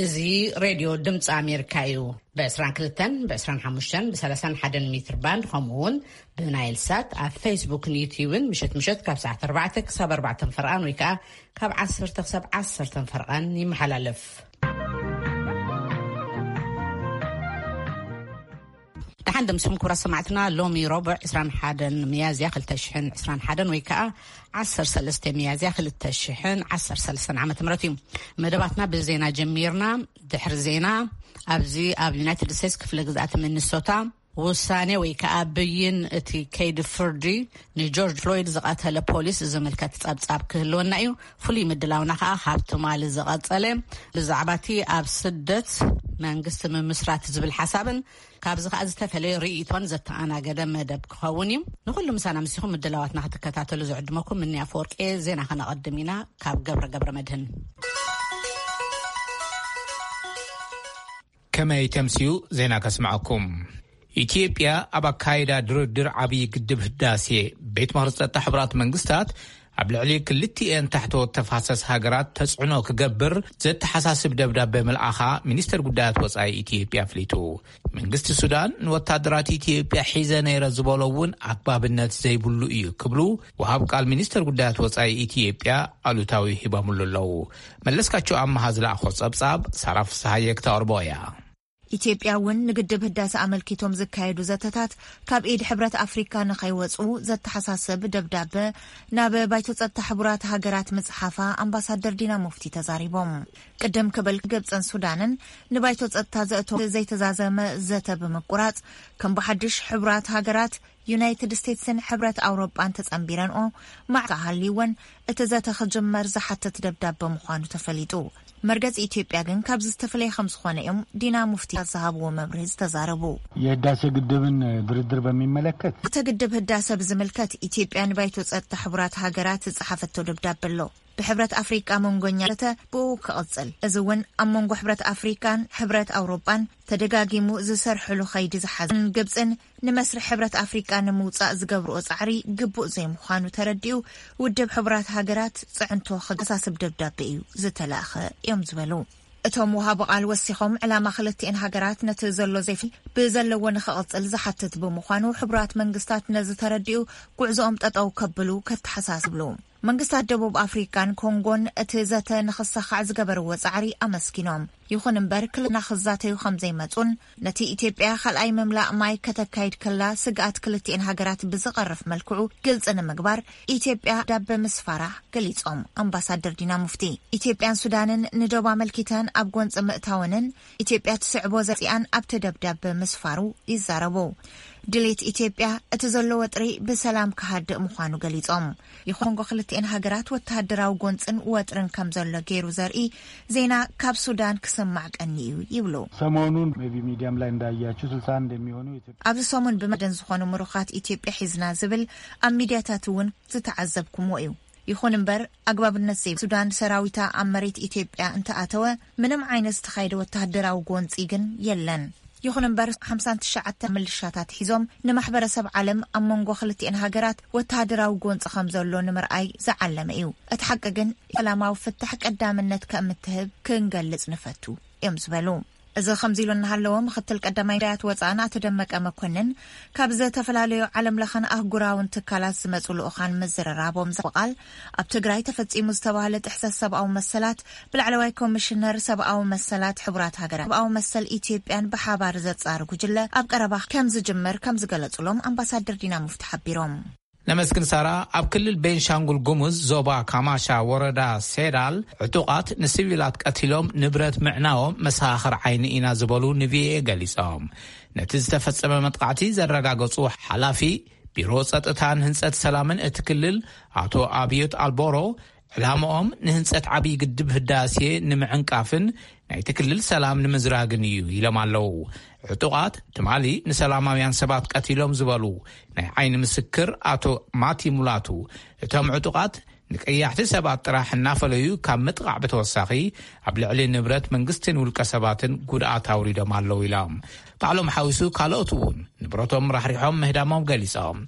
እዚ ሬድዮ ድምፂ ኣሜሪካ እዩ። ብ22፣ ብ25፣ ብ31 ሜትር ባንድ፣ ከምኡ እውን ብናይል ሳት ኣብ ፌስቡክን ዩትዩብን ምሸት ምሸት ካብ ሰዓት ኣርባዕተ ክሳብ ኣርባዕተ ፈርቓን ወይ ከዓ ካብ ዓሰርተ ክሳብ ዓሰርተ ፈርቓን ይመሓላለፍ። ደሓን ደምስኩም ክቡራት ሰማዕትና፣ ሎሚ ረቡዕ ዕስራን ሓደን ሚያዝያ ክልተ ሽሕን ዕስራን ሓደን ወይ ከዓ ዓሰርተ ሰለስተ ሚያዝያ ክልተ ሽሕን ዓሰርተ ሰለስተን ዓመተ ምህረት እዩ። መደባትና ብዜና ጀሚርና። ድሕሪ ዜና፣ ኣብዚ ኣብ ዩናይትድ ስቴትስ ክፍለ ግዝኣት ሚኒሶታ ውሳኔ ወይ ከዓ ብይን እቲ ከይዲ ፍርዲ ንጆርጅ ፍሎይድ ዝቐተለ ፖሊስ ዝምልከት ጸብጻብ ክህልወና እዩ። ፍሉይ ምድላውና ከዓ ካብ ትማሊ ዝቐጸለ ብዛዕባ እቲ ኣብ ስደት መንግስቲ ምምስራት ዝብል ሓሳብን ካብዚ ከዓ ዝተፈለየ ርእይቶን ዘተኣናገደ መደብ ክኸውን እዩ። ንኩሉ ምሳና ምሲኹም ምድላዋትና ክትከታተሉ ዝዕድመኩም ምንያ ኣፈወርቂ። ዜና ከነቐድም ኢና ካብ ገብረ ገብረ መድህን። ከመይ ተምስዩ ዜና ከስምዐኩም። ኢትዮጵያ ኣብ ኣካይዳ ድርድር ዓብዪ ግድብ ህዳሴ ቤት ምኽሪ ጸጥታ ሕቡራት መንግስታት ኣብ ልዕሊ ክልቲኤን ታሕተዎት ተፋሰስ ሃገራት ተጽዕኖ ክገብር ዘተሓሳስብ ደብዳበ ምልኣኻ ሚኒስተር ጉዳያት ወጻኢ ኢትዮጵያ ኣፍሊጡ። መንግስቲ ሱዳን ንወታደራት ኢትዮጵያ ሒዘ ነይረ ዝበሎ እውን ኣግባብነት ዘይብሉ እዩ ክብሉ ወሃብ ቃል ሚኒስተር ጉዳያት ወጻኢ ኢትዮጵያ ኣሉታዊ ሂቦምሉ ኣለዉ። መለስካቸው ኣመሃ ዝለኣኾ ጸብጻብ ሳራ ፍስሃየ ክተቕርቦ እያ። ኢትዮጵያ እውን ንግድብ ህዳሰ ኣመልኪቶም ዝካየዱ ዘተታት ካብ ኢድ ሕብረት ኣፍሪካ ንኸይወፁ ዘተሓሳስብ ደብዳበ ናብ ባይቶ ጸጥታ ሕቡራት ሃገራት ምጽሓፋ ኣምባሳደር ዲና ሙፍቲ ተዛሪቦም። ቅድም ክብል ግብፅን ሱዳንን ንባይቶ ጸጥታ ዘእቶ ዘይተዛዘመ ዘተ ብምቁራፅ ከም ብሓድሽ ሕቡራት ሃገራት፣ ዩናይትድ ስቴትስን ሕብረት ኣውሮጳን ተጸንቢረንኦ ማዕካ ሃልይወን እቲ ዘተ ክጅመር ዝሓትት ደብዳበ ምዃኑ ተፈሊጡ። መርገጺ ኢትዮጵያ ግን ካብዚ ዝተፈለየ ከም ዝኾነ እዮም ዲና ሙፍቲ ዝሃብዎ መብርሂ ዝተዛረቡ። የህዳሴ ግድብን ድርድር በሚመለከት እቲ ግድብ ህዳሰ ብዝምልከት ኢትዮጵያ ንባይቶ ጸጥታ ሕቡራት ሃገራት ዝጸሓፈቶ ደብዳበ ኣሎ። ብሕብረት ኣፍሪቃ መንጎኛ ዘተ ብኡ ክቕጽል። እዚ እውን ኣብ መንጎ ሕብረት ኣፍሪቃን ሕብረት ኣውሮጳን ተደጋጊሙ ዝሰርሕሉ ኸይዲ ዝሓዘን ግብጽን ንመስርሕ ሕብረት ኣፍሪቃ ንምውጻእ ዝገብርኦ ጻዕሪ ግቡእ ዘይምዃኑ ተረዲኡ ውድብ ሕቡራት ሃገራት ጽዕንቶ ከሳስብ ደብዳቤ እዩ ዝተላእኸ እዮም ዝበሉ። እቶም ወሃቢ ቃል ወሲኾም ዕላማ ክልቲኤን ሃገራት ነቲ ዘሎ ዘይፍ ብዘለዎ ንኽቕጽል ዝሓትት ብምዃኑ ሕቡራት መንግስታት ነዚ ተረዲኡ ጉዕዞኦም ጠጠው ከብሉ ከተሓሳስብሉ። መንግስታት ደቡብ ኣፍሪካን ኮንጎን እቲ ዘተ ንኽሳኻዕ ዝገበርዎ ጻዕሪ ኣመስጊኖም። ይኹን እምበር ክልና ክዛተዩ ከም ዘይመጹን ነቲ ኢትዮጵያ ካልኣይ ምምላእ ማይ ከተካይድ ከላ ስግኣት ክልቲኤን ሃገራት ብዝቐርፍ መልክዑ ግልጺ ንምግባር ኢትዮጵያ ዳበ ምስፋራ ገሊጾም ኣምባሳደር ዲና ሙፍቲ። ኢትዮጵያን ሱዳንን ንዶብ ኣመልኪተን ኣብ ጎንጺ ምእታወንን ኢትዮጵያ ትስዕቦ ዘጺኣን ኣብቲ ደብዳበ ምስፋሩ ይዛረቡ። ድሌት ኢትዮጵያ እቲ ዘሎ ወጥሪ ብሰላም ክሃድእ ምዃኑ ገሊጾም። ይኹን ኮንጎ ክልቲኤን ሃገራት ወተሃደራዊ ጎንጽን ወጥርን ከም ዘሎ ገይሩ ዘርኢ ዜና ካብ ሱዳን ክስማዕ ቀኒ እዩ ይብሉ። ሰሞኑን maybe ሚዲያም ላይ እንዳያችሁ ስልሳ አንድ የሚሆኑ ኢትዮጵያ ኣብዚ ሰሙን ብመደን ዝኾኑ ምሩኻት ኢትዮጵያ ሒዝና ዝብል ኣብ ሚዲያታት እውን ዝተዓዘብኩምዎ እዩ። ይኹን እምበር ኣግባብነት ዘይብ ሱዳን ሰራዊታ ኣብ መሬት ኢትዮጵያ እንተኣተወ ምንም ዓይነት ዝተኻየደ ወተሃደራዊ ጎንጺ ግን የለን። ይኹን እምበር ሓምሳን ትሽዓተ ምልሻታት ሒዞም ንማሕበረሰብ ዓለም ኣብ መንጎ ክልቲኤን ሃገራት ወተሃደራዊ ጎንጺ ከም ዘሎ ንምርኣይ ዝዓለመ እዩ። እቲ ሓቂ ግን ሰላማዊ ፍታሕ ቀዳምነት ከም እትህብ ክንገልጽ ንፈቱ እዮም ዝበሉ። እዚ ከምዚ ኢሉ እናሃለወ ምክትል ቀዳማይ ሚኒስትር ወፃእን ኣቶ ደመቀ መኮንን ካብ ዝተፈላለዩ ዓለም ለኸን ኣህጉራውን ትካላት ዝመፁ ልኡኻን ምዝርራቦም ዘቃል ኣብ ትግራይ ተፈፂሙ ዝተባህለ ጥሕሰት ሰብኣዊ መሰላት ብላዕለዋይ ኮሚሽነር ሰብኣዊ መሰላት ሕቡራት ሃገራት ሰብኣዊ መሰል ኢትዮጵያን ብሓባር ዘፃር ጉጅለ ኣብ ቀረባ ከም ዝጅመር ከም ዝገለፁሎም ኣምባሳደር ዲና ሙፍቲ ሓቢሮም። ነመስግን ሳራ። ኣብ ክልል ቤንሻንጉል ጉሙዝ ዞባ ካማሻ ወረዳ ሴዳል ዕጡቓት ንሲቪላት ቀቲሎም ንብረት ምዕናዎም መሰኻኽር ዓይኒ ኢና ዝበሉ ንቪኦኤ ገሊጾም። ነቲ ዝተፈጸመ መጥቃዕቲ ዘረጋገጹ ሓላፊ ቢሮ ጸጥታን ህንጸት ሰላምን እቲ ክልል ኣቶ ኣብዮት ኣልቦሮ ዕላምኦም ንህንጸት ዓብዪ ግድብ ህዳሴ ንምዕንቃፍን ናይቲ ክልል ሰላም ንምዝራግን እዩ ኢሎም ኣለዉ። ዕጡቓት ትማሊ ንሰላማውያን ሰባት ቀቲሎም ዝበሉ ናይ ዓይኒ ምስክር ኣቶ ማቲ ሙላቱ፣ እቶም ዕጡቓት ንቀያሕቲ ሰባት ጥራሕ እናፈለዩ ካብ ምጥቓዕ ብተወሳኺ ኣብ ልዕሊ ንብረት መንግስትን ውልቀ ሰባትን ጉድኣት ኣውሪዶም ኣለዉ ኢሎም። ባዕሎም ሓዊሱ ካልኦት እውን ንብረቶም ራሕሪሖም ምህዳሞም ገሊጾም።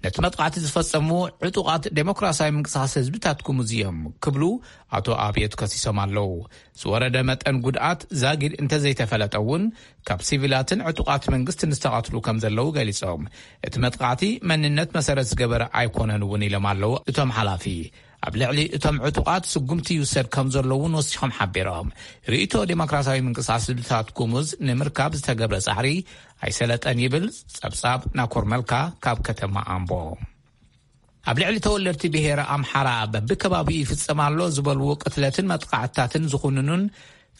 እቲ መጥቃዕቲ ዝፈጸሙ ዕጡቓት ዴሞክራሲያዊ ምንቅስቓስ ህዝብታት ኩሙዝ እዮም ክብሉ ኣቶ ኣብዮት ከሲሶም ኣለዉ። ዝወረደ መጠን ጉድኣት ዛጊድ እንተዘይተፈለጠ እውን፣ ካብ ሲቪላትን ዕጡቓት መንግስትን ዝተቐትሉ ከም ዘለዉ ገሊጾም፣ እቲ መጥቃዕቲ መንነት መሰረት ዝገበረ ኣይኮነን እውን ኢሎም ኣለዉ እቶም ሓላፊ። ኣብ ልዕሊ እቶም ዕጡቓት ስጉምቲ ይውሰድ ከም ዘለዉ እውን ወሲኾም ሓቢሮም። ርእይቶ ዴሞክራሲያዊ ምንቅስቓስ ህዝብታት ኩሙዝ ንምርካብ ዝተገብረ ጻዕሪ ኣይሰለጠን ይብል ጸብጻብ ናኮር መልካ ካብ ከተማ ኣምቦ። ኣብ ልዕሊ ተወለድቲ ብሄረ ኣምሓራ በብከባቢኡ ይፍጸም ኣሎ ዝበልዎ ቅትለትን መጥቃዕትታትን ዝኹንኑን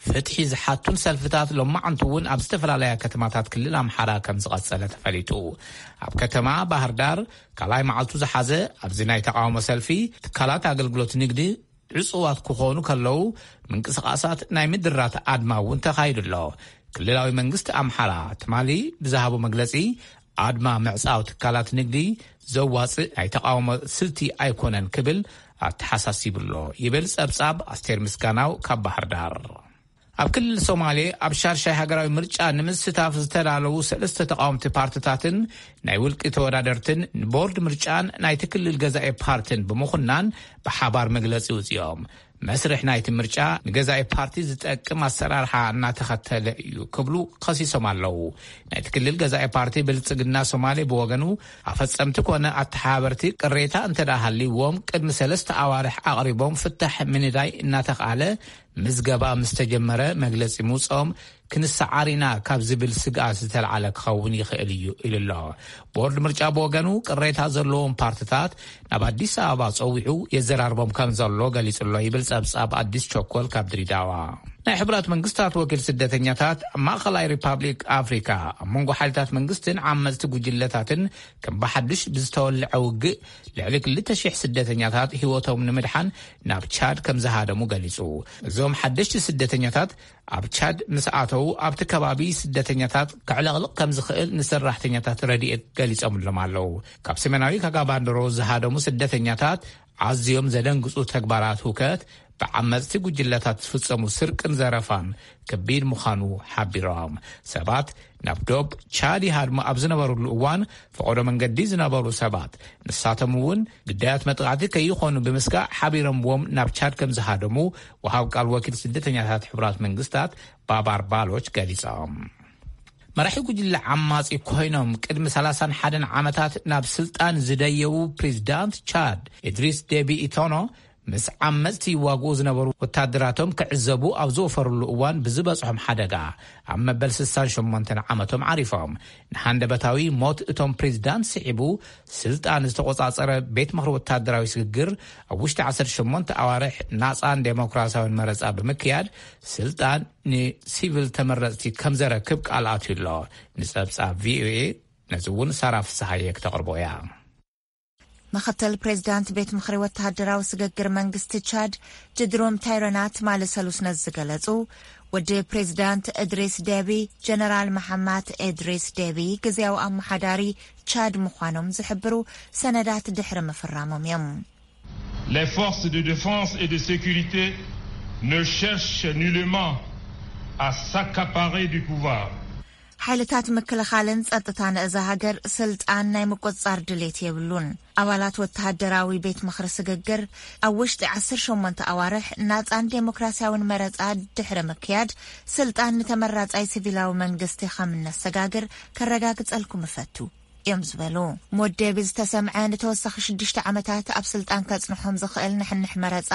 ፍትሒ ዝሓቱን ሰልፍታት ሎማዓንቲ እውን ኣብ ዝተፈላለያ ከተማታት ክልል ኣምሓራ ከም ዝቐጸለ ተፈሊጡ። ኣብ ከተማ ባህር ዳር ካልኣይ መዓልቱ ዝሓዘ ኣብዚ ናይ ተቃውሞ ሰልፊ፣ ትካላት ኣገልግሎት ንግዲ ዕጹዋት ክኾኑ ከለዉ፣ ምንቅስቓሳት ናይ ምድራት ኣድማ እውን ተኻይዱ ኣሎ። ክልላዊ መንግስቲ ኣምሓራ ትማሊ ብዝሃቦ መግለጺ፣ ኣድማ ምዕጻው ትካላት ንግዲ ዘዋጽእ ናይ ተቃውሞ ስልቲ ኣይኮነን ክብል ኣተሓሳሲቡ ኣሎ ይብል ጸብጻብ ኣስቴር ምስጋናው ካብ ባህር ዳር። ኣብ ክልል ሶማሌ ኣብ ሻድሻይ ሃገራዊ ምርጫ ንምስታፍ ዝተዳለዉ ሰለስተ ተቃወምቲ ፓርትታትን ናይ ውልቂ ተወዳደርትን ንቦርድ ምርጫን ናይቲ ክልል ገዛኢ ፓርትን ብምኹናን ብሓባር መግለጺ ውጽኦም። መስርሕ ናይቲ ምርጫ ንገዛኢ ፓርቲ ዝጠቅም ኣሰራርሓ እናተኸተለ እዩ ክብሉ ከሲሶም ኣለዉ። ናይቲ ክልል ገዛኢ ፓርቲ ብልጽግና ሶማሌ ብወገኑ፣ ኣፈጸምቲ ኮነ ኣተሓባበርቲ ቅሬታ እንተ ደኣ ሃልይዎም ቅድሚ ሰለስተ ኣዋርሕ ኣቕሪቦም ፍታሕ ምንዳይ እናተኽኣለ ምዝገባ ምስ ተጀመረ መግለጺ ምውጽኦም ክንሰዓር ኢና ካብ ዝብል ስግኣት ዝተልዓለ ክኸውን ይኽእል እዩ ኢሉ ኣሎ። ቦርድ ምርጫ ብወገኑ ቅሬታ ዘለዎም ፓርትታት ናብ ኣዲስ ኣበባ ጸዊዑ የዘራርቦም ከም ዘሎ ገሊጹ ኣሎ ይብል ጸብጻብ ኣዲስ ቸኮል ካብ ድሪዳዋ። ናይ ሕቡራት መንግስታት ወኪል ስደተኛታት ኣብ ማእኸላይ ሪፓብሊክ ኣፍሪካ ኣብ መንጎ ሓይልታት መንግስትን ዓመፅቲ ጉጅለታትን ከም ብሓዱሽ ብዝተወልዐ ውግእ ልዕሊ ክልተ ሽሕ ስደተኛታት ህይወቶም ንምድሓን ናብ ቻድ ከም ዝሃደሙ ገሊጹ። እዞም ሓደሽቲ ስደተኛታት ኣብ ቻድ ምስ ኣተዉ ኣብቲ ከባቢ ስደተኛታት ከዕለቕልቕ ከም ዝኽእል ንሰራሕተኛታት ረድኤት ገሊጾምሎም ኣለዉ። ካብ ሰሜናዊ ካጋባንድሮ ዝሃደሙ ስደተኛታት ኣዝዮም ዘደንግጹ ተግባራት ሁከት ብዓመጽቲ ጉጅለታት ዝፍጸሙ ስርቅን ዘረፋን ከቢድ ምዃኑ ሓቢሮም። ሰባት ናብ ዶብ ቻድ ይሃድሙ ኣብ ዝነበሩሉ እዋን፣ ፈቐዶ መንገዲ ዝነበሩ ሰባት፣ ንሳቶም እውን ግዳያት መጥቃዕቲ ከይኾኑ ብምስጋእ ሓቢሮምዎም ናብ ቻድ ከም ዝሃደሙ ወሃብ ቃል ወኪል ስደተኛታት ሕቡራት መንግስታት ባባር ባሎች ገሊጾም። መራሒ ጉጅለ ዓማጺ ኮይኖም ቅድሚ ሰላሳን ሓደን ዓመታት ናብ ስልጣን ዝደየቡ ፕሬዚዳንት ቻድ ኢድሪስ ዴቢ ኢቶኖ፣ ምስ ዓመጽቲ ይዋግኡ ዝነበሩ ወታደራቶም ክዕዘቡ ኣብ ዝወፈሩሉ እዋን ብዝበጽሖም ሓደጋ ኣብ መበል ስሳን ሸሞንተን ዓመቶም ዓሪፎም። ንሃንደበታዊ ሞት እቶም ፕሬዚዳንት ስዒቡ፣ ስልጣን ዝተቖጻጸረ ቤት ምኽሪ ወታደራዊ ስግግር ኣብ ውሽጢ ዓሰርተ ሸሞንተ ኣዋርሕ ናጻን ዴሞክራሲያውን መረጻ ብምክያድ፣ ስልጣን ንሲቪል ተመረጽቲ ከም ዘረክብ ቃል ኣትዩ ኣሎ። ንጸብጻብ ቪኦኤ ነዚ እውን ሳራ ፍስሃየ ክተቕርቦ እያ። ምኽትል ፕሬዚዳንት ቤት ምኽሪ ወተሃደራዊ ስግግር መንግስቲ ቻድ ጅድሮም ታይረና ትማሊ ሰሉስ ነዚ ዝገለጹ፣ ወዲ ፕሬዚዳንት እድሪስ ዴቢ፣ ጀነራል መሓማት እድሪስ ዴቢ፣ ግዝያዊ ኣመሓዳሪ ቻድ ምዃኖም ዝሕብሩ ሰነዳት ድሕሪ ምፍራሞም እዮም። Les forces de défense et de sécurité ne cherchent nullement à s'accaparer du pouvoir. ሓይልታት ምክልኻልን ጸጥታን እዛ ሃገር ስልጣን ናይ ምቁጽጻር ድሌት የብሉን። ኣባላት ወተሃደራዊ ቤት ምኽሪ ስግግር ኣብ ውሽጢ ዓሰርተ ሸሞንተ ኣዋርሕ ናጻን ዴሞክራሲያውን መረጻ ድሕሪ ምክያድ፣ ስልጣን ንተመራጻይ ሲቪላዊ መንግስቲ ከም እነሰጋግር ከረጋግጸልኩም እፈቱ እዮም ዝበሉ። ሞት ዴቢ ዝተሰምዐ ንተወሳኺ ሽዱሽተ ዓመታት ኣብ ስልጣን ከጽንሖም ዝኽእል ንሕንሕ መረጻ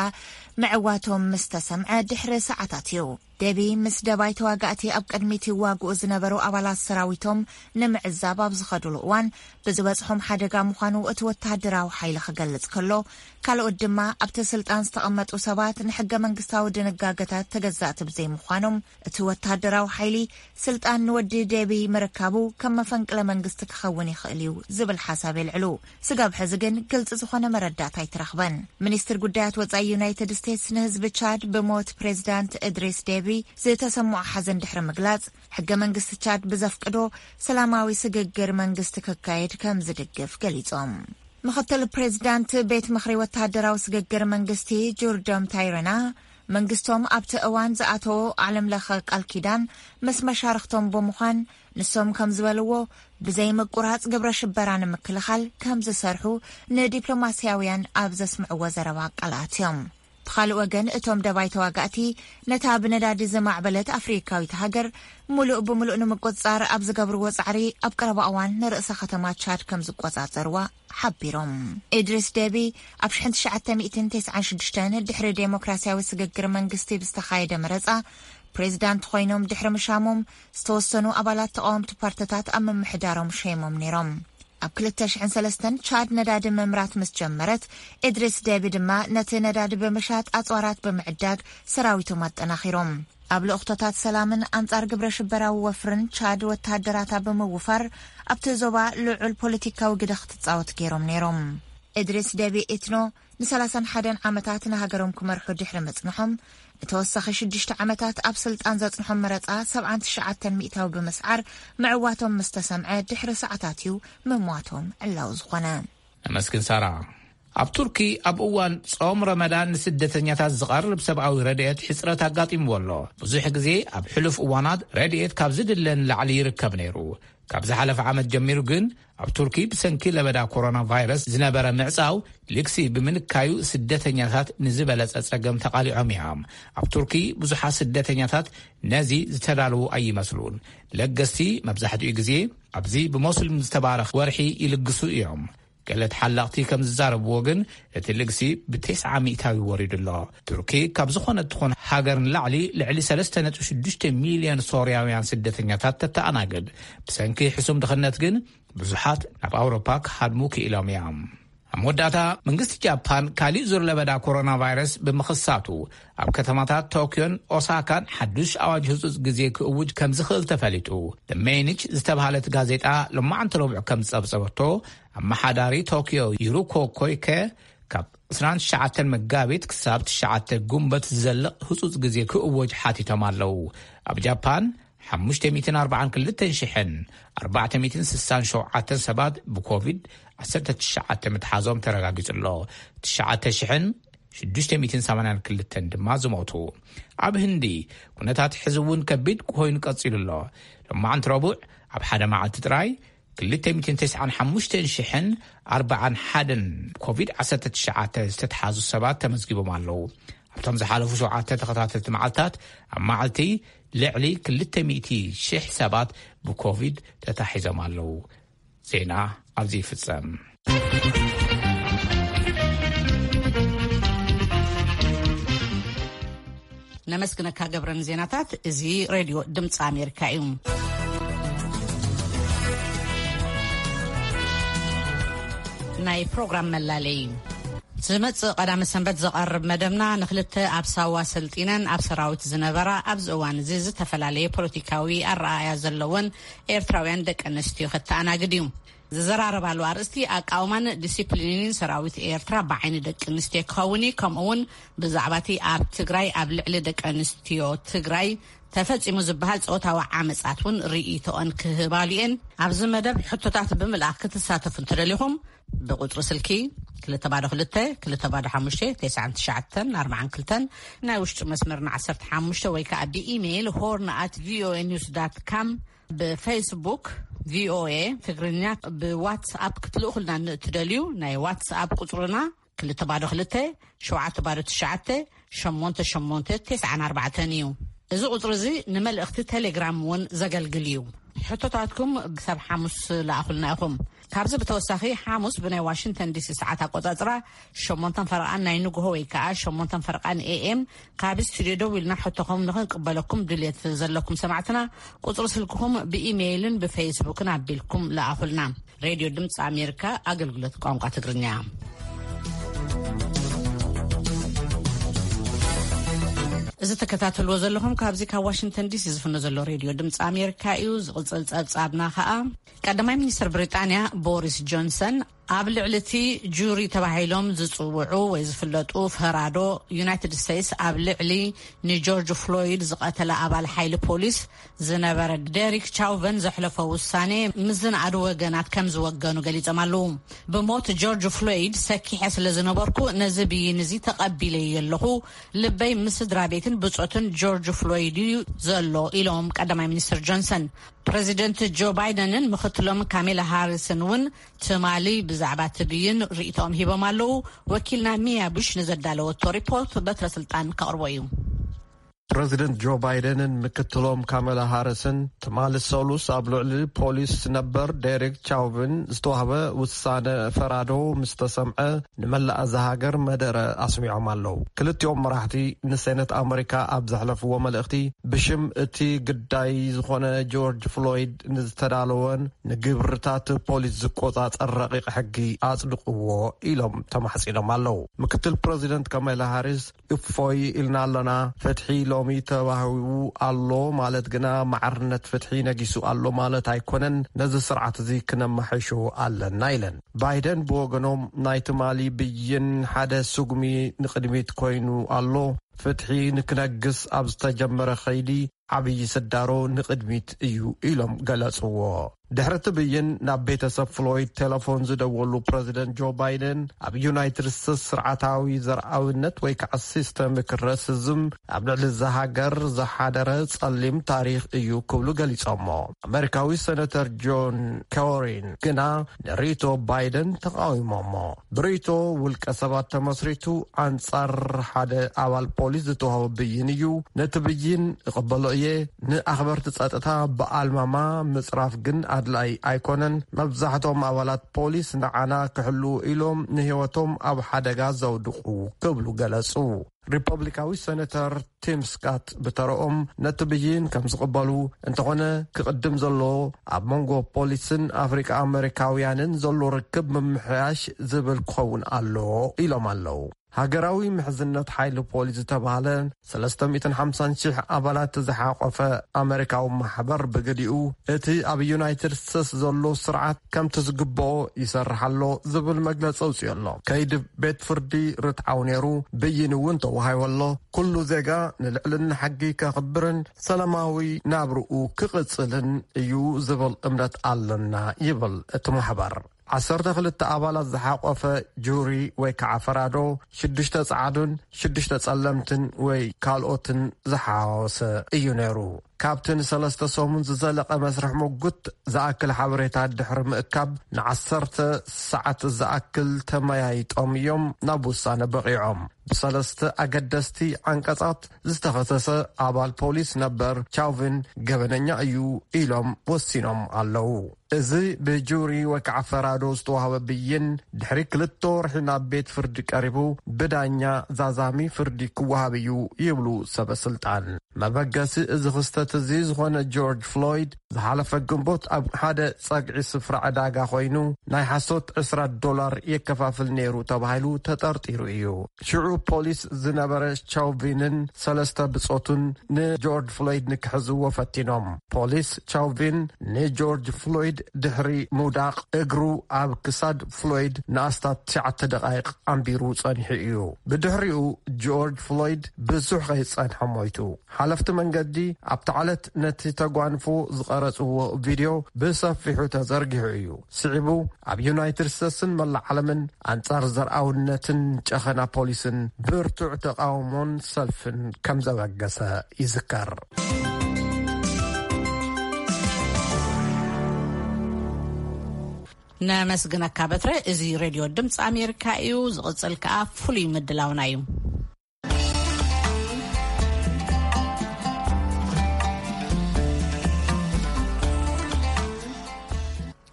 ምዕዋቶም ምስ ተሰምዐ ድሕሪ ሰዓታት እዩ። ዴቢ ምስ ደባይ ተዋጋእቲ ኣብ ቅድሚት ይዋግኡ ዝነበሩ ኣባላት ሰራዊቶም ንምዕዛብ ኣብ ዝኸድሉ እዋን ብዝበጽሖም ሓደጋ ምዃኑ እቲ ወተሃደራዊ ሓይሊ ክገልጽ ከሎ፣ ካልኦት ድማ ኣብቲ ስልጣን ዝተቐመጡ ሰባት ንሕገ መንግስታዊ ድንጋገታት ተገዛእቲ ብዘይምዃኖም እቲ ወተሃደራዊ ሓይሊ ስልጣን ንወዲ ዴቢ ምርካቡ ከም መፈንቅለ መንግስቲ ክኸውን ይኽእል እዩ ዝብል ሓሳብ የልዕሉ። ስጋብ ሕዚ ግን ግልፂ ዝኾነ መረዳእታ ኣይተረኽበን። ሚኒስትር ጉዳያት ወፃኢ ዩናይትድ ስቴትስ ንህዝቢ ቻድ ብሞት ፕሬዚዳንት እድሪስ ዴቢ ዝተሰምዖ ሓዘን ድሕሪ ምግላፅ፣ ሕገ መንግስቲ ቻድ ብዘፍቅዶ ሰላማዊ ስግግር መንግስቲ ክካየድ ከም ዝድግፍ ገሊፆም። ምኽትል ፕሬዚዳንት ቤት ምኽሪ ወተሃደራዊ ስግግር መንግስቲ ጆርዶም ታይረና መንግስቶም ኣብቲ እዋን ዝኣተዎ ዓለም ለኸ ቃል ኪዳን ምስ መሻርኽቶም ብምዃን ንሶም ከም ዝበልዎ ብዘይ ምቁራጽ ግብረ ሽበራ ንምክልኻል ከም ዝሰርሑ ንዲፕሎማስያውያን ኣብ ዘስምዕዎ ዘረባ ቃል ኣትዮም። ብኻልእ ወገን፣ እቶም ደባይ ተዋጋእቲ ነታ ብነዳዲ ዝማዕበለት ኣፍሪካዊት ሃገር ምሉእ ብምሉእ ንምቁጽጻር ኣብ ዝገብርዎ ጻዕሪ፣ ኣብ ቀረባ እዋን ንርእሰ ከተማ ቻድ ከም ዝቆጻጸርዋ ሓቢሮም። ኢድሪስ ደቢ ኣብ ሽሕን ትሽዓተ ሚእትን ተስዓን ሽዱሽተን ድሕሪ ዴሞክራሲያዊ ስግግር መንግስቲ ብዝተኻየደ መረጻ ፕሬዚዳንት ኮይኖም ድሕሪ ምሻሞም፣ ዝተወሰኑ ኣባላት ተቃወምቲ ፓርቲታት ኣብ ምምሕዳሮም ሸይሞም ነይሮም። ኣብ ክልተ ሽሕን ሰለስተን ቻድ ነዳዲ ምምራት ምስ ጀመረት፣ ኢድሪስ ደቢ ድማ ነቲ ነዳዲ ብምሻጥ ኣጽዋራት ብምዕዳግ ሰራዊቶም ኣጠናኺሮም። ኣብ ልእኽቶታት ሰላምን ኣንጻር ግብረ ሽበራዊ ወፍርን ቻድ ወተሃደራታ ብምውፋር ኣብቲ ዞባ ልዑል ፖለቲካዊ ግደ ክትጻወት ገይሮም ነይሮም። ኢድሪስ ደቢ ኢትኖ ንሰላሳን ሓደን ዓመታት ንሃገሮም ክመርሑ ድሕሪ ምጽንሖም፣ ንተወሳኺ ሽዱሽተ ዓመታት ኣብ ስልጣን ዘጽንሖም መረጻ ሰብዓን ትሽዓተን ሚእታዊ ብምስዓር ምዕዋቶም ምስ ተሰምዐ ድሕሪ ሰዓታት እዩ ምሟቶም ዕላዊ ዝኾነ። ነመስግን ሳራ። ኣብ ቱርኪ ኣብ እዋን ጾም ረመዳን ንስደተኛታት ዝቐርብ ሰብኣዊ ረድኤት ሕጽረት ኣጋጢምዎ ኣሎ። ብዙሕ ግዜ ኣብ ሕሉፍ እዋናት ረድኤት ካብ ዝድለ ንላዕሊ ይርከብ ነይሩ። ካብ ዝሓለፈ ዓመት ጀሚሩ ግን ኣብ ቱርኪ ብሰንኪ ለበዳ ኮሮና ቫይረስ ዝነበረ ምዕጻው ልግሲ ብምንካዩ ስደተኛታት ንዝበለጸ ጸገም ተቓሊዖም እዮም። ኣብ ቱርኪ ብዙሓት ስደተኛታት ነዚ ዝተዳለዉ ኣይመስሉን። ለገስቲ መብዛሕትኡ ግዜ ኣብዚ ብሞስሊም ዝተባረኽ ወርሒ ይልግሱ እዮም። ገለ ተሓላቕቲ ከም ዝዛረብዎ ግን እቲ ልግሲ ብተስዓ ሚእታዊ ወሪዱ ኣሎ። ቱርኪ ካብ ዝኾነት ትኾን ሃገር ንላዕሊ ልዕሊ ሰለስተ ነጥቢ ሽዱሽተ ሚልዮን ሶርያውያን ስደተኛታት ተተኣናግድ። ብሰንኪ ሕሱም ድኽነት ግን ብዙሓት ናብ ኣውሮፓ ክሃድሙ ክኢሎም እዮም። ኣብ መወዳእታ መንግስቲ ጃፓን ካሊእ ዙር ለበዳ ኮሮና ቫይረስ ብምኽሳቱ ኣብ ከተማታት ቶክዮን ኦሳካን ሓዱሽ ኣዋጅ ህጹጽ ግዜ ክእውጅ ከም ዝኽእል ተፈሊጡ። The Mainichi ዝተባህለት ጋዜጣ ሎማዓንቲ ረቡዕ ከም ዝጸብጸበቶ፣ ኣመሓዳሪ ቶክዮ ዩሩኮ ኮይከ ካብ ዕስራን ትሽዓተን መጋቢት ክሳብ ትሽዓተ ጉንበት ዝዘልቕ ህጹጽ ግዜ ክእወጅ ሓቲቶም ኣለዉ። ኣብ ጃፓን ሓሙሽተ ሚእትን ኣርባዓን ክልተን ሽሕን ኣርባዕተ ሚእትን ስሳን ሸውዓተን ሰባት ብኮቪድ ዓሰርተ ትሽዓተ ምትሓዞም ተረጋጊጹ ኣሎ። ትሽዓተ ሽሕን ሽዱሽተ ሚእትን ሰማንያን ክልተን ድማ ዝሞቱ። ኣብ ህንዲ ኩነታት ሕዚ እውን ከቢድ ኮይኑ ቀጺሉ ኣሎ። ሎማዓንቲ ረቡዕ ኣብ ሓደ መዓልቲ ጥራይ ክልተ ሚእትን ተስዓን ሓሙሽተን ሽሕን ኣርባዓን ሓደን ኮቪድ ዓሰርተ ትሽዓተ ዝተትሓዙ ሰባት ተመዝጊቦም ኣለዉ። ኣብቶም ዝሓለፉ ሸውዓተ ተኸታተልቲ መዓልታት ኣብ መዓልቲ ልዕሊ ክልተ ሚእቲ ሽሕ ሰባት ብኮቪድ ተታሒዞም ኣለዉ። ዜና ኣብዚ ይፍጸም። ነመስግነካ ገብረ ንዜናታት። እዚ ሬድዮ ድምፂ ኣሜሪካ እዩ። ናይ ፕሮግራም መላለይ። ዝመጽእ ቀዳመ ሰንበት ዘቐርብ መደብና ንክልተ ኣብ ሳዋ ሰልጢነን ኣብ ሰራዊት ዝነበራ ኣብዚ እዋን እዚ ዝተፈላለየ ፖለቲካዊ ኣረኣእያ ዘለወን ኤርትራውያን ደቂ ኣንስትዮ ከተኣናግድ እዩ። ዝዘራረባሉ ኣርእስቲ ኣቃውማን ዲሲፕሊንን ሰራዊት ኤርትራ ብዓይኒ ደቂ ኣንስትዮ ክኸውን እዩ። ከምኡ እውን ብዛዕባ እቲ ኣብ ትግራይ ኣብ ልዕሊ ደቂ ኣንስትዮ ትግራይ ተፈጺሙ ዝበሃል ጾታዊ ዓመጻት እውን ርእይቶኦን ክህባሉ እየን። ኣብዚ መደብ ሕቶታት ብምልኣኽ ክትሳተፉ እንትደሊኹም ብቁጽሪ ስልኪ ክልተ ባዶ ክልተ፣ ክልተ ባዶ ሓሙሽተ፣ ተስዓን ትሽዓተን ኣርባዓን ክልተን፣ ናይ ውሽጢ መስመርና ዓሰርተ ሓሙሽተ ወይ ከኣ ብኢሜይል ሆርን ኣት ቪኦኤ ኒውስ ዳት ካም፣ ብፌስቡክ ቪኦኤ ትግርኛ፣ ብዋትስኣፕ ክትልእኹልና ንእትደልዩ ናይ ዋትስኣፕ ቁጽርና ክልተ ባዶ ክልተ፣ ሸውዓተ ባዶ ትሽዓተ፣ ሸሞንተ ሸሞንተ ተስዓን ኣርባዕተን እዩ። እዚ ቁጽሪ እዚ ንመልእኽቲ ቴሌግራም እውን ዘገልግል እዩ። ሕቶታትኩም ክሳብ ሓሙስ ለኣኹልና ኢኹም። ካብዚ ብተወሳኺ ሓሙስ ብናይ ዋሽንግተን ዲሲ ሰዓት ኣቆጻጽራ ሸሞንተን ፈረቓን ናይ ንግሆ ወይ ከኣ ሸሞንተን ፈረቓን ኤኤም ካብ ስቱድዮ ደዊልና ሕቶኹም ንኽንቅበለኩም ድልየት ዘለኩም ሰማዕትና ቁጽሪ ስልክኹም ብኢሜይልን ብፌስቡክን ኣቢልኩም ለኣኹልና። ሬድዮ ድምፂ ኣሜሪካ ኣገልግሎት ቋንቋ ትግርኛ። እዚ ተከታተልዎ ዘለኹም ካብዚ ካብ ዋሽንግተን ዲሲ ዝፍኖ ዘሎ ሬድዮ ድምፂ ኣሜሪካ እዩ። ዝቕጽል ጸብጻብና ከኣ ቀዳማይ ሚኒስትር ብሪጣንያ ቦሪስ ጆንሰን ኣብ ልዕሊ እቲ ጁሪ ተባሂሎም ዝጽውዑ ወይ ዝፍለጡ ፈራዶ፣ ዩናይትድ ስቴትስ ኣብ ልዕሊ ንጆርጅ ፍሎይድ ዝቐተለ ኣባል ሓይሊ ፖሊስ ዝነበረ ዴሪክ ቻውቨን ዘሕለፎ ውሳኔ ምስ ዝነኣዱ ወገናት ከም ዝወገኑ ገሊጾም ኣለዉ። "ብሞት ጆርጅ ፍሎይድ ሰኪሐ ስለ ዝነበርኩ፣ ነዚ ብይን እዚ ተቐቢለዮ ኣለኹ። ልበይ ምስ ስድራ ቤትን ብጾትን ጆርጅ ፍሎይድ እዩ ዘሎ" ኢሎም ቀዳማይ ሚኒስትር ጆንሰን። ፕረዚደንት ጆ ባይደንን ምኽትሎም ካሜላ ሃሪስን እውን ትማሊ ብዛዕባ እቲ ብይን ርእይቶኦም ሂቦም ኣለዉ። ወኪልና ሚያ ቡሽ ንዘዳለወቶ ሪፖርት በትረ ስልጣን ከቕርቦ እዩ። ፕረዚደንት ጆ ባይደንን ምክትሎም ካሜላ ሃሪስን ትማሊ ሰሉስ ኣብ ልዕሊ ፖሊስ ነበር ዴሪክ ቻውቪን ዝተዋህበ ውሳነ ፈራዶ ምስ ተሰምዐ፣ ንመላእ እዛ ሃገር መደረ ኣስሚዖም ኣለዉ። ክልቲኦም መራሕቲ ንሴነት ኣመሪካ ኣብ ዘሕለፍዎ መልእኽቲ፣ ብሽም እቲ ግዳይ ዝኾነ ጆርጅ ፍሎይድ ንዝተዳለወን ንግብርታት ፖሊስ ዝቆጻጸር ረቂቕ ሕጊ ኣጽድቕዎ ኢሎም ተማሕጺኖም ኣለዉ። ምክትል ፕረዚደንት ካሜላ ሃሪስ፣ "እፎይ ኢልና ኣለና፣ ፍትሒ ሎሚ ተዋሂቡ ኣሎ ማለት ግና ማዕርነት ፍትሒ ነጊሱ ኣሎ ማለት ኣይኮነን፣ ነዚ ስርዓት እዚ ክነማሕሾ ኣለና" ኢለን። ባይደን ብወገኖም፣ "ናይ ትማሊ ብይን ሓደ ስጉሚ ንቕድሚት ኮይኑ ኣሎ፣ ፍትሒ ንክነግስ ኣብ ዝተጀመረ ከይዲ ዓብዪ ስዳሮ ንቕድሚት እዩ" ኢሎም ገለጽዎ። ድሕሪ እቲ ብይን ናብ ቤተሰብ ፍሎይድ ቴሌፎን ዝደወሉ ፕረዚደንት ጆ ባይደን፣ ኣብ ዩናይትድ ስቴትስ ስርዓታዊ ዘርኣዊነት ወይ ከዓ ሲስተሚክ ራሲዝም ኣብ ልዕሊ እዛ ሃገር ዝሓደረ ጸሊም ታሪኽ እዩ ክብሉ ገሊጾሞ። ኣመሪካዊ ሴናተር ጆን ኮሪን ግና ንርእይቶ ባይደን ተቃዊሞሞ። ብርእይቶ ውልቀ ሰባት ተመስሪቱ ኣንጻር ሓደ ኣባል ፖሊስ ዝተዋህበ ብይን እዩ። ነቲ ብይን እቕበሎ እየ። ንኣኽበርቲ ጸጥታ ብኣልማማ ምጽራፍ ግን ኣድላይ ኣይኮነን። መብዛሕትኦም ኣባላት ፖሊስ ንዓና ክሕልዉ ኢሎም ንህይወቶም ኣብ ሓደጋ ዘውድቑ ክብሉ ገለጹ። ሪፐብሊካዊ ሴናተር ቲም ስካት ብተረኦም ነቲ ብይን ከም ዝቕበሉ፣ እንተኾነ ክቕድም ዘለዎ ኣብ መንጎ ፖሊስን ኣፍሪቃ ኣመሪካውያንን ዘሎ ርክብ ምምሕያሽ ዝብል ክኸውን ኣለዎ ኢሎም ኣለዉ። ሃገራዊ ምሕዝነት ሓይሊ ፖሊስ ዝተባህለ ሰለስተ ሚእትን ሓምሳን ሽሕ ኣባላት ዝሓቆፈ ኣመሪካዊ ማሕበር ብግዲኡ፣ እቲ ኣብ ዩናይትድ ስቴትስ ዘሎ ስርዓት ከምቲ ዝግብኦ ይሰርሕ ኣሎ ዝብል መግለጺ ኣውጺኡ ኣሎ። ከይዲ ቤት ፍርዲ ርትዓዊ ነይሩ፣ ብይን እውን ተዋሂቡ ኣሎ። ኩሉ ዜጋ ንልዕልና ሕጊ ከኽብርን ሰላማዊ ናብርኡ ክቕጽልን እዩ ዝብል እምነት ኣለና ይብል እቲ ማሕበር። ዓሰርተ ክልተ ኣባላት ዝሓቆፈ ጁሪ ወይ ከዓ ፈራዶ፣ ሽዱሽተ ጸዓዱን ሽዱሽተ ጸለምትን ወይ ካልኦትን ዝሓወሰ እዩ ነይሩ። ካብቲ ንሰለስተ ሰሙን ዝዘለቐ መስርሕ ምጉት ዝኣክል ሓበሬታ ድሕሪ ምእካብ፣ ንዓሰርተ ሰዓት ዝኣክል ተመያይጦም እዮም ናብ ውሳነ በቒዖም። ብሰለስተ ኣገደስቲ ዓንቀጻት ዝተኸሰሰ ኣባል ፖሊስ ነበር ቻውቪን ገበነኛ እዩ ኢሎም ወሲኖም ኣለዉ። እዚ ብጁሪ ወይ ከዓ ፈራዶ ዝተዋህበ ብይን፣ ድሕሪ ክልተ ወርሒ ናብ ቤት ፍርዲ ቀሪቡ፣ ብዳኛ ዛዛሚ ፍርዲ ክወሃብ እዩ ይብሉ ሰበ ስልጣን። መበገሲ እዚ ክስተት እዚ ዝኾነ ጆርጅ ፍሎይድ፣ ዝሓለፈ ግንቦት ኣብ ሓደ ጸግዒ ስፍራ ዕዳጋ ኮይኑ፣ ናይ ሓሶት ዕስራ ዶላር የከፋፍል ነይሩ ተባሂሉ ተጠርጢሩ እዩ። ሽዑ ፖሊስ ዝነበረ ቻውቪንን ሰለስተ ብጾቱን ንጆርጅ ፍሎይድ ንክሕዝዎ ፈቲኖም። ፖሊስ ቻውቪን ንጆርጅ ፍሎይድ ድሕሪ ምውዳቕ፣ እግሩ ኣብ ክሳድ ፍሎይድ ንኣስታት ትሽዓተ ደቓይቕ ኣንቢሩ ጸኒሑ እዩ። ብድሕሪኡ ጆርጅ ፍሎይድ ብዙሕ ከይጸንሐ ሞይቱ። ሓለፍቲ መንገዲ ኣብቲ ዕለት ነቲ ተጓንፎ ዝቐረጽዎ ቪድዮ ብሰፊሑ ተዘርጊሑ እዩ። ስዒቡ ኣብ ዩናይትድ ስቴትስን መላእ ዓለምን ኣንጻር ዘርኣውነትን ጨኸና ፖሊስን ብርቱዕ ተቓውሞን ሰልፍን ከም ዘበገሰ ይዝከር። ነመስግነካ በትረ። እዚ ሬድዮ ድምፂ ኣሜሪካ እዩ። ዝቕፅል ከኣ ፍሉይ ምድላውና እዩ።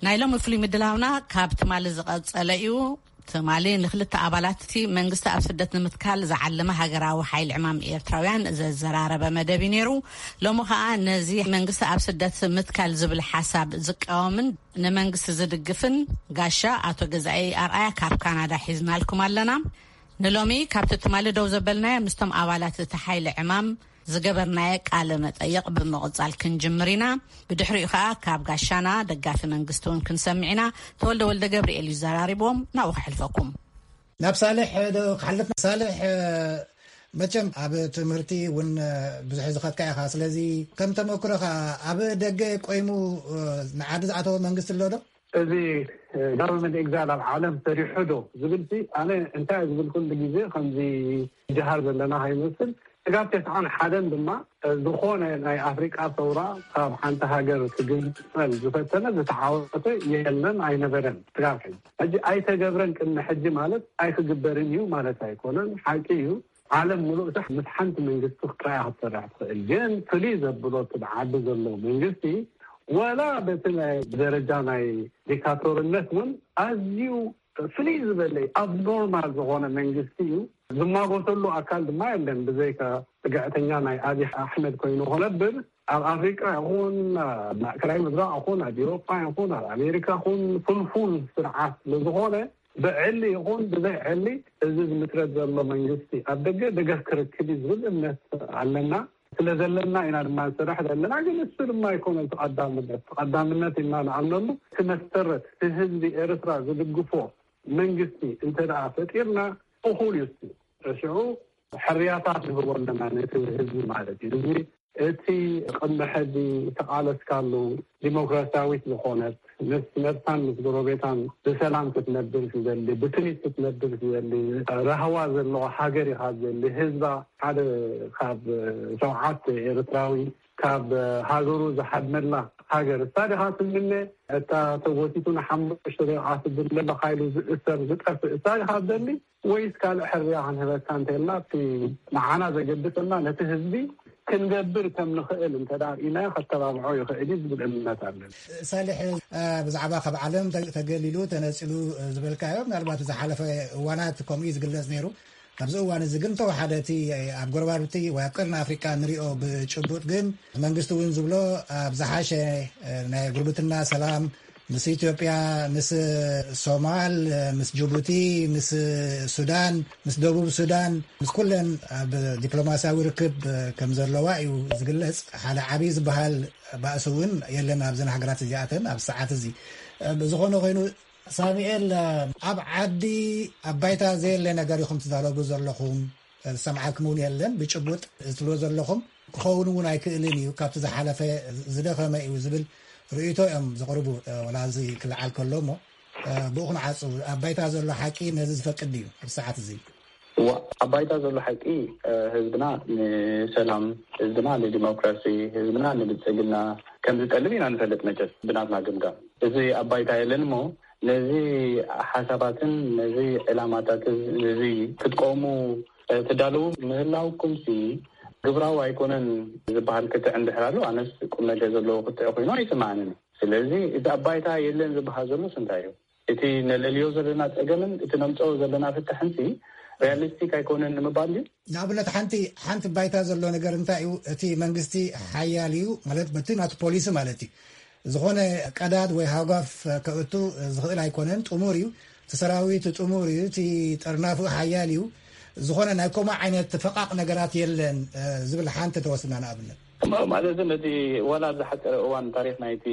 ናይ ሎሚ ፍሉይ ምድላውና ካብ ትማሊ ዝቐጸለ እዩ። ትማሊ ንክልተ ኣባላት እቲ መንግስቲ ኣብ ስደት ንምትካል ዝዓለመ ሃገራዊ ሓይሊ ዕማም ኤርትራውያን ዘዘራረበ መደብ እዩ ነይሩ። ሎሚ ኸኣ ነዚ መንግስቲ ኣብ ስደት ምትካል ዝብል ሓሳብ ዝቃወምን ንመንግስቲ ዝድግፍን ጋሻ ኣቶ ገዛኢ ኣርኣያ ካብ ካናዳ ሒዝናልኩም ኣለና። ንሎሚ ካብቲ ትማሊ ደው ዘበልናዮ ምስቶም ኣባላት እቲ ሓይሊ ዕማም ዝገበርናዮ ቃለ መጠይቕ ብምቕጻል ክንጅምር ኢና። ብድሕሪኡ ከኣ ካብ ጋሻና ደጋፊ መንግስቲ እውን ክንሰምዕ ኢና። ተወልደ ወልደ ገብርኤል እዩ ዘራሪቦም። ናብኡ ከሕልፈኩም። ናብ ሳልሕ ዶ ክሓልፍ? ሳልሕ፣ መቸም ኣብ ትምህርቲ እውን ብዙሕ ዝኸድካ ኢኻ። ስለዚ ከም ተመክሮኻ ኣብ ደገ ቆይሙ ንዓዲ ዝኣተወ መንግስቲ ኣሎ ዶ? እዚ ጋቨርንመንት ኤግዛይል ኣብ ዓለም ሰሪሑ ዶ ዝብል ሲ፣ ኣነ እንታይ ዝብል ኩሉ ግዜ ከምዚ ጀሃር ዘለና ከይመስል፣ ስጋብ ተስዓን ሓደን ድማ ዝኾነ ናይ ኣፍሪቃ ሰውራ ካብ ሓንቲ ሃገር ክግንጸል ዝፈተነ ዝተዓወተ የለን ኣይነበረን። ስጋብ ሕጂ ሕጂ ኣይተገብረን። ቅድሚ ሕጂ ማለት ኣይክግበርን እዩ ማለት ኣይኮነን። ሓቂ እዩ። ዓለም ሙሉእ ሳሕ ምስ ሓንቲ መንግስቲ ክትረኣያ ክትሰርሕ ትኽእል። ግን ፍልይ ዘብሎ እቲ ብዓዲ ዘሎ መንግስቲ፣ ወላ በቲ ናይ ደረጃ ናይ ዲክታቶርነት እውን ኣዝዩ ፍልይ ዝበለ ኣብኖርማል ዝኾነ መንግስቲ እዩ። ዝማጎተሉ ኣካል ድማ የለን፣ ብዘይካ ጽግዕተኛ ናይ ኣብይ ኣሕመድ ኮይኑ ክነብር። ኣብ ኣፍሪቃ ይኹን ኣብ ማእከላይ ምብራቕ ይኹን ኣብ ኤውሮጳ ይኹን ኣብ ኣሜሪካ ይኹን ፍልፉል ስርዓት ስለዝኾነ፣ ብዕሊ ይኹን ብዘይ ዕሊ እዚ ዝምስረት ዘሎ መንግስቲ ኣብ ደገ ደገፍ ክረክብ እዩ ዝብል እምነት ኣለና። ስለ ዘለና ኢና ድማ ንሰርሕ ዘለና። ግን እሱ ድማ ኣይኮነን እቲ ቀዳምነት። እቲ ቀዳምነት ኢልና ንኣምነሉ፣ እቲ መሰረት፣ እቲ ህዝቢ ኤርትራ ዝድግፎ መንግስቲ እንተ ደኣ ፈጢርና፣ እኹል እዩ እሱ። ሽዑ ሕርያታት ንህቦ ኣለና ነቲ ህዝቢ ማለት እዩ። እዚ እቲ ቅድሚ ሕዚ ዝተቓለስካሉ፣ ዲሞክራሲያዊት ዝኾነት፣ ምስ ነብሳን ምስ ጎረቤታን ብሰላም ክትነብር ዝደሊ፣ ብስኒት ክትነብር ዝደሊ፣ ራህዋ ዘለዎ ሃገር ኢኻ ዝደሊ። ህዝባ ሓደ ካብ ሸውዓተ ኤርትራዊ ካብ ሃገሩ ዝሓድመላ ሃገር እሳ ዲኻ ትምነ? እታ ተጎቲቱ ንሓሙሽተ ደቂቓ ስድር ለለ ሓይሉ ዝእሰር ዝጠፍእ እሳ ዲኻ ትደሊ? ወይስ ካልእ ሕርያ ክንህበካ እንተልና፣ እቲ ንዓና ዘገድሰና ነቲ ህዝቢ ክንገብር ከም ንኽእል እንተ ደኣ ርኢናዮ፣ ከተባብዖ ይኽእል እዩ ዝብል እምነት ኣለኒ። ሳልሕ፣ እ፣ ብዛዕባ ካብ ዓለም ተ-፣ ተገሊሉ፣ ተነጺሉ፣ እ፣ ዝበልካዮ፣ ምናልባት ዝሓለፈ እዋናት ከምኡ እዩ ዝግለጽ ነይሩ። ኣብዚ እዋን እዚ ግን ተወሓደ እቲ ኣብ ጎረባብቲ ወይ ኣብ ቀርኒ ኣፍሪቃ ንሪኦ ብጭቡጥ ግን መንግስቲ እውን ዝብሎ ኣብ ዝሓሸ፣ እ፣ ናይ ጉርብትና ሰላም ምስ ኢትዮጵያ፣ ምስ ሶማል፣ ምስ ጅቡቲ፣ ምስ ሱዳን፣ ምስ ደቡብ ሱዳን፣ ምስ ኩለን ኣብ ዲፕሎማስያዊ ርክብ ከም ዘለዋ እዩ ዝግለጽ። ሓደ ዓብዪ ዝበሃል ባእሲ እውን የለን ኣብዘን ሃገራት እዚኣተን ኣብ ሰዓት እዚ። ብዝኾነ ኮይኑ ሳሙኤል፣ ኣብ ዓዲ ኣብ ባይታ ዘየለ ነገር ኢኹም ትዛረቡ ዘለኹም። ዝሰምዓኩም እውን የለን። ብጭቡጥ እትብሎ ዘለኹም ክኸውን እውን ኣይክእልን እዩ፣ ካብቲ ዝሓለፈ ዝደኸመ እዩ ዝብል ርእይቶ እዮም ዘቕርቡ። እ፣ ወላ እዚ ክለዓል ከሎ እሞ፣ እ፣ ብኡ ክንዓጹ፣ ኣብ ባይታ ዘሎ ሓቂ ነዚ ዝፈቅድ ድዩ ኣብዚ ሰዓት እዚ? እዋ፣ ኣብ ባይታ ዘሎ ሓቂ፣ እ፣ ህዝብና ንሰላም፣ ህዝብና ንዲሞክራሲ፣ ህዝብና ንብልጽግና ከም ዝጠልብ ኢና ንፈልጥ መቸስ ብናትና ግምጋም። እዚ ኣብ ባይታ የለን እሞ ነዚ ሓሳባትን ነዚ ዕላማታትን እዚ ክትቀሙ ትዳለዉ ምህላውኩምሲ ግብራዊ ኣይኮነን ዝበሃል ክትዕ እንድሕር ኣሎ፣ ኣነስ ቁም ነገር ዘለዎ ክትዕ ኮይኑ ኣይስምዓንን። ስለዚ እዚ ኣብ ባይታ የለን ዝበሃል ዘሎስ እንታይ እዩ? እቲ ነለልዮ ዘለና ጸገምን እቲ ነምጽኦ ዘለና ፍታሕንሲ ሪያሊስቲክ ኣይኮነን ንምባል ድዩ? ንኣብነት ሓንቲ፣ ሓንቲ ባይታ ዘሎ ነገር እንታይ እዩ? እቲ መንግስቲ ሓያል እዩ ማለት በቲ ናቱ ፖሊሲ ማለት እዩ። ዝኾነ ቀዳድ ወይ ሃጓፍ ከእቱ ዝኽእል ኣይኮነን። ጥሙር እዩ። እቲ ሰራዊት ጥሙር እዩ። እቲ ጠርናፉ ሓያል እዩ። ዝኾነ ናይ ከምኡ ዓይነት ፈቓቕ ነገራት የለን፣ እ፣ ዝብል ሓንቲ ተወስድና ንኣብነት። ማ-፣ ማለት ነቲ ዋላ ኣብ ዝሓጸረ እዋን ታሪኽ ናይቲ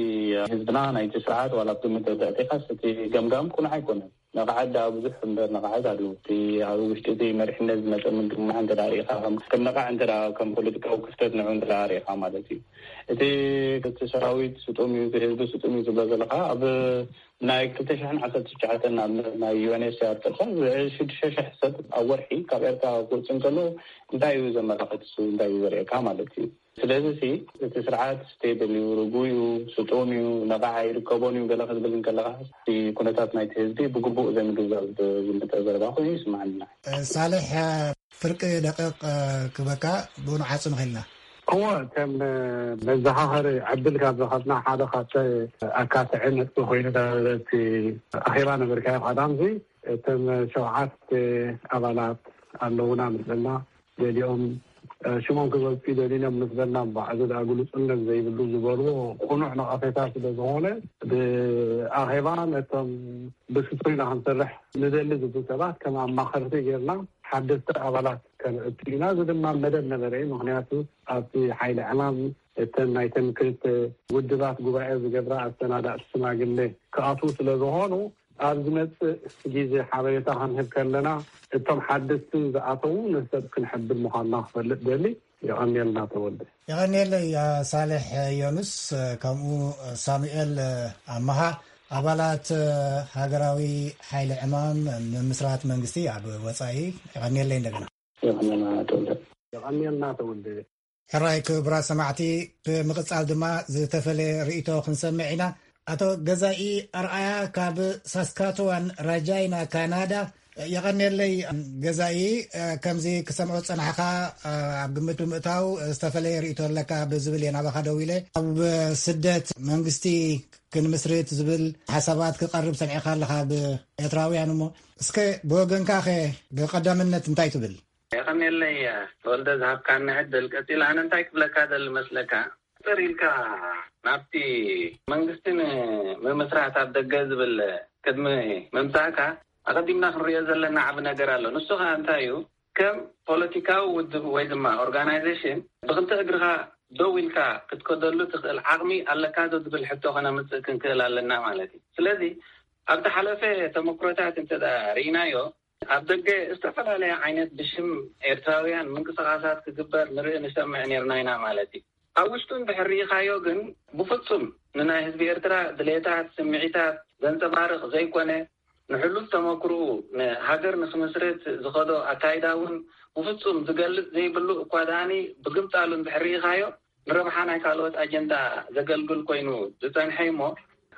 ህዝብና፣ ናይቲ ስርዓት ዋላ ኣብ ግምት ተእቲኻስ እቲ ገምጋም ቅኑዕ ኣይኮነን። ነቓዓት ደኣ ብዙሕ እምበር ነቓዓት ኣለዉ። እቲ ኣብ ውሽጢ እቲ መሪሕነት ዝመጸ ምድማዕ እንተ ደኣ ርኢኻ፣ ከም፣ ከም ነቓዕ እንተ ደኣ ከም ፖለቲካዊ ክስተት ንዑ እንተ ደኣ ርኢኻ ማለት እዩ። እቲ፣ እቲ ሰራዊት ስጡም እዩ፣ እቲ ህዝቢ ስጡም እዩ ትብሎ ዘለኻ፣ ኣብ ናይ ክልተ ሽሕን ዓሰርተ ትሽዓተን ንኣብነት ናይ ዩ ኤን ኤች ሲ ኣር ጥርሳ ሽዱሽተ ሽሕ ሰብ ኣብ ወርሒ ካብ ኤርትራ ክወጽእ እንከሎ እንታይ እዩ ዘመላኽት? እሱ እንታይ እዩ ዘርእየካ ማለት እዩ? ስለዚ ሲ እቲ ስርዓት ስቴብል እዩ፣ ርጉእ እዩ፣ ስጡም እዩ፣ ነቓዕ ኣይርከቦን እዩ ገለ ክትብል እንከለኻ፣ እቲ ኩነታት ናይቲ ህዝቢ ብግቡእ ዘይምግንዛብ ዝመጸ ዘረባ ኮይኑ ይስምዓኒ። ሳልሕ፣ ፍርቂ ደቂቕ ክበካ ብኡ ንዓጹ ንኽእልና። እወ፣ ከም መዘኻኸሪ ዕድል ካብ ረኸብና ሓደ ካብቲ ኣካትዒ ነጥቢ ኮይኑ እቲ ኣኼባ ነበርካዮ ቀዳምዚ፣ እቶም ሸውዓተ ኣባላት ኣለውና ምስልና፣ ገሊኦም፣ እ፣ ሽሞም ክገልጹ ይደልዩን እዮም ምስ በልና፣ እምበኣር እዚ ደኣ ግሉጽነት ዘይብሉ ዝበልዎ ቅኑዕ ነቐፌታ ስለ ዝኾነ፣ ብኣኼባ ነቶም ብስቱር ኢና ክንሰርሕ ንደሊ ዝብሉ ሰባት ከም ኣማኸርቲ ጌርና፣ ሓደስቲ ኣባላት ከነእቱ ኢና። እዚ ድማ መደብ ነበረ እዩ። ምኽንያቱ ኣብቲ ሓይሊ ዕማም እተን ናይተን ክልተ ውድባት ጉባኤ ዝገብራ ኣሰናዳእቲ ሽማግሌ ክኣትዉ ስለ ዝኾኑ፣ ኣብ ዝመጽእ ግዜ ሓበሬታ ክንህብ ከለና፣ እቶም ሓደስቲ ዝኣተዉ ንሰብ ክንሕብር ምዃንና ክፈልጥ ደሊ። የቐንየልና ተወልደ። የቐንየለይ ሳልሕ ዮኑስ፣ ከምኡ ሳሙኤል ኣመሃ፣ ኣባላት ሃገራዊ ሓይሊ ዕማም ንምስራት መንግስቲ ኣብ ወጻኢ። የቐንየለይ እንደገና። የቐንየልና ተወልደ። የቐንየልና ተወልደ። ሕራይ ክቡራት ሰማዕቲ፣ ብምቕጻል ድማ ዝተፈለየ ርእይቶ ክንሰምዕ ኢና። ኣቶ ገዛኢ ኣርኣያ ካብ ሳስካትዋን ራጃይና ካናዳ። የቐንየለይ ገዛኢ፣ ከምዚ ክሰምዖ ዝጸናሕካ ኣብ ግምት ብምእታው ዝተፈለየ ርእይቶ ኣለካ ብዝብል እየ ናባኻ ደዊለ። ኣብ ስደት መንግስቲ ክንምስርት ዝብል ሓሳባት ክቐርብ ሰሚዕካ ኣለኻ ብኤርትራውያን እሞ፣ እስከ ብወገንካ ኸ ብቐዳምነት እንታይ ትብል? የቐንየለይ ተወልደ ዝሃብካኒ ዕድል። ቀጺለ ኣነ እንታይ ክብለካ ደሊ መስለካ? ጥር ኢልካ ናብቲ መንግስቲ ንምምስራት ኣብ ደገ ዝብል ቅድሚ ምምጻእካ ኣቐዲምና ክንሪኦ ዘለና ዓቢ ነገር ኣሎ። ንሱ ኸኣ እንታይ እዩ? ከም ፖለቲካዊ ውድብ ወይ ድማ ኦርጋናይዜሽን ብኽልተ እግርኻ ደው ኢልካ ክትከደሉ ትኽእል ዓቕሚ ኣለካ ዶ ዝብል ሕቶ ከነምጽእ ክንክእል ኣለና ማለት እዩ። ስለዚ ኣብ ዝሓለፈ ተመክሮታት እንተ ደኣ ርኢናዮ፣ ኣብ ደገ ዝተፈላለየ ዓይነት ብሽም ኤርትራውያን ምንቅስቓሳት ክግበር ንርኢ ንሰምዕ ኔርና ኢና ማለት እዩ። ኣብ ውሽጡ እንድሕር ርኢኻዮ ግን ብፍጹም ንናይ ህዝቢ ኤርትራ ድሌታት፣ ስምዒታት ዘንጸባርቕ ዘይኮነ፣ ንሕሉፍ ተመክርኡ ንሃገር ንክምስርት ዝኸዶ ኣካይዳ እውን ብፍጹም ዝገልጽ ዘይብሉ እኳ ደኣኒ ብግምጣሉ እንድሕር ርኢኻዮ ንረብሓ ናይ ካልኦት ኣጀንዳ ዘገልግል ኮይኑ ዝጸንሐ እሞ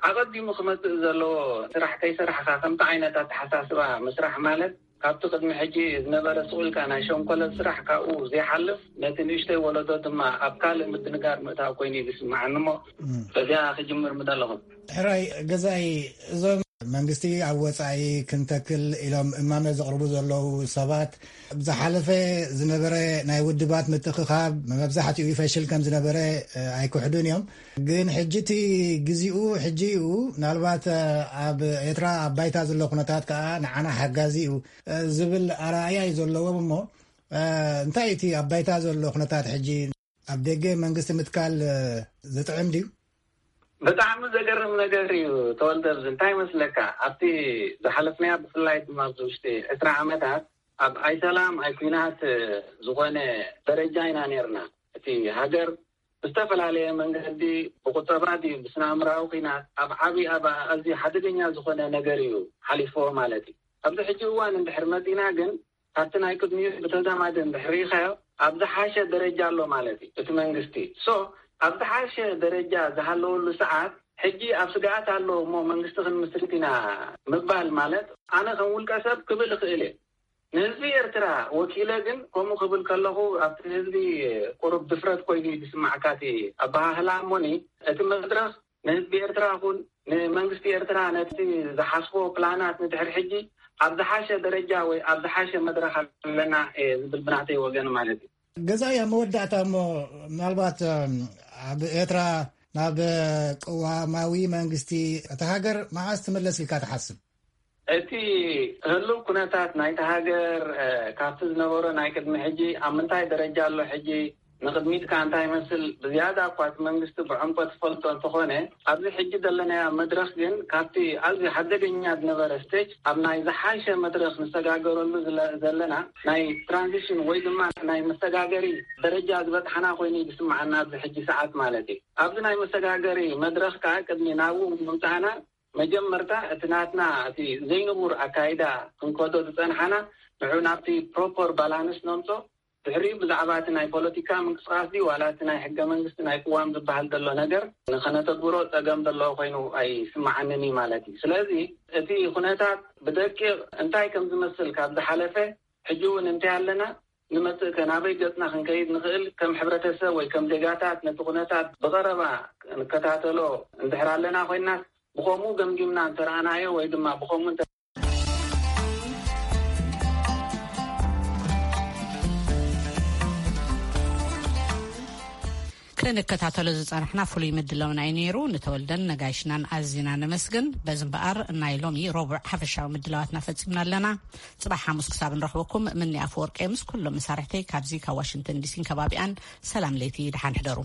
ኣቐዲሙ ክመጽእ ዘለዎ ስራሕ ከይሰራሕካ ከምቲ ዓይነት ኣተሓሳስባ ምስራሕ ማለት ካብቲ ቅድሚ ሕጂ ዝነበረ ስቕ ኢልካ ናይ ሸንኮለት ስራሕ ካብኡ ዘይሓልፍ ነቲ ንእሽተይ ወለዶ ድማ ኣብ ካልእ ምድንጋር ምእታው ኮይኑ እዩ ዝስምዓኒ እሞ በዚኣ ክጅምር ምደለኹ። ሕራይ ገዛኢ፣ እዞም መንግስቲ ኣብ ወጻኢ ክንተክል ኢሎም እማመ ዘቕርቡ ዘለዉ ሰባት ዝሓለፈ ዝነበረ ናይ ውድባት ምትእኽኻብ መብዛሕትኡ ይፈሽል ከም ዝነበረ ኣይክሕዱን እዮም። ግን ሕጂ እቲ ግዜኡ ሕጂ እዩ። ምናልባት ኣብ ኤርትራ ኣብ ባይታ ዘሎ ኩነታት ከኣ ንዓና ሓጋዚ እዩ ዝብል ኣረኣእያ እዩ ዘለዎም። እሞ እንታይ እቲ ኣብ ባይታ ዘሎ ኩነታት ሕጂ? ኣብ ደገ መንግስቲ ምትካል ዝጥዕም ድዩ? ብጣዕሚ ዘገርም ነገር እዩ ተወልደ። ኣብዚ እንታይ ይመስለካ፣ ኣብቲ ዝሓለፍናያ ብፍላይ ድማ ኣብዚ ውሽጢ ዕስራ ዓመታት ኣብ ኣይሰላም ኣይኩናት ዝኾነ ደረጃ ኢና ነርና። እቲ ሃገር ብዝተፈላለየ መንገዲ ብቁጠባ ድዩ ብስነ ኣእምራዊ ኩናት ኣብ ዓብዪ ኣብ ኣዝዩ ሓደገኛ ዝኾነ ነገር እዩ ሓሊፍዎ ማለት እዩ። ኣብዚ ሕጂ እዋን እንድሕር መፂና ግን ካብቲ ናይ ቅድሚኡ ብተዛማዲ እንድሕር ርኢኻዮ ኣብ ዝሓሸ ደረጃ ኣሎ ማለት እዩ እቲ መንግስቲ። ሶ ኣብ ዝሓሸ ደረጃ ዝሃለወሉ ሰዓት ሕጂ ኣብ ስግኣት ኣሎ እሞ መንግስቲ ክንምስርት ኢና ምባል ማለት ኣነ ከም ውልቀ ሰብ ክብል እኽእል እየ። ንህዝቢ ኤርትራ ወኪለ ግን ከምኡ ክብል ከለኹ ኣብቲ ህዝቢ ቁሩብ ድፍረት ኮይኑ እዩ ዝስማዕካ እቲ ኣበሃህላ። እሞኒ እቲ መድረኽ ንህዝቢ ኤርትራ ኹን ንመንግስቲ ኤርትራ ነቲ ዝሓስቦ ፕላናት ንድሕር ሕጂ ኣብ ዝሓሸ ደረጃ ወይ ኣብ ዝሓሸ መድረኽ ኣለና ዝብል ብናተይ ወገን ማለት እዩ። ገዛኢ፣ ኣብ መወዳእታ እሞ ምናልባት ኣብ ኤርትራ ናብ ቅዋማዊ መንግስቲ እታ ሃገር መዓስ ትምለስ ኢልካ ትሓስብ? እቲ ህሉው ኩነታት ናይቲ ሃገር ካብቲ ዝነበሮ ናይ ቅድሚ ሕጂ ኣብ ምንታይ ደረጃ ኣሎ፣ ሕጂ ንቕድሚት ከኣ እንታይ ይመስል ብዝያዳ እኳ እቲ መንግስቲ ብዕምቆት ዝፈልጦ እንተኾነ፣ ኣብዚ ሕጂ ዘለናዮ መድረኽ ግን ካብቲ ኣዝዩ ሓደገኛ ዝነበረ ስቴጅ ኣብ ናይ ዝሓሸ መድረኽ ንሰጋገረሉ ዘለና ናይ ትራንዚሽን ወይ ድማ ናይ መሰጋገሪ ደረጃ ዝበጽሓና ኮይኑ እዩ ዝስምዓና ኣብዚ ሕጂ ሰዓት ማለት እዩ። ኣብዚ ናይ መሰጋገሪ መድረኽ ከኣ ቅድሚ ናብኡ ምምጻእና መጀመርታ እቲ ናትና እቲ ዘይንቡር ኣካይዳ ክንከዶ ዝጸንሓና ንዑ ናብቲ ፕሮፖር ባላንስ ነምጾ። ድሕሪኡ ብዛዕባ እቲ ናይ ፖለቲካ ምንቅስቃስ ድዩ ዋላ እቲ ናይ ሕገ መንግስቲ ናይ ቅዋም ዝበሃል ዘሎ ነገር ንኸነተግብሮ ጸገም ዘለዎ ኮይኑ ኣይስምዓንን እዩ ማለት እዩ። ስለዚ እቲ ኩነታት ብደቂቕ እንታይ ከም ዝመስል ካብ ዝሓለፈ ሕጂ እውን እንታይ ኣለና ንመጽእ ከ ናበይ ገጽና ክንከይድ ንኽእል ከም ሕብረተሰብ ወይ ከም ዜጋታት ነቲ ኩነታት ብቐረባ ንከታተሎ እንድሕር ኣለና ኮይናስ ብኸምኡ ገምጊምና እንተረኣናዮ ወይ ድማ ብኸምኡ እንተ ክንከታተሎ ዝጸናሕና ፍሉይ ምድላውና እዩ ነይሩ። ንተወልደን ነጋይሽናን ኣዚና ነመስግን። በዚ እምበኣር ናይ ሎሚ ረቡዕ ሓፈሻዊ ምድላዋትና ፈጺምና ኣለና። ጽባሕ ሓሙስ ክሳብ ንረኽበኩም፣ ምኒ ኣፈወርቂ ምስ ኩሎም መሳርሕተይ ካብዚ ካብ ዋሽንግተን ዲሲን ከባቢኣን ሰላም ለይቲ፣ ደሓን ሕደሩ።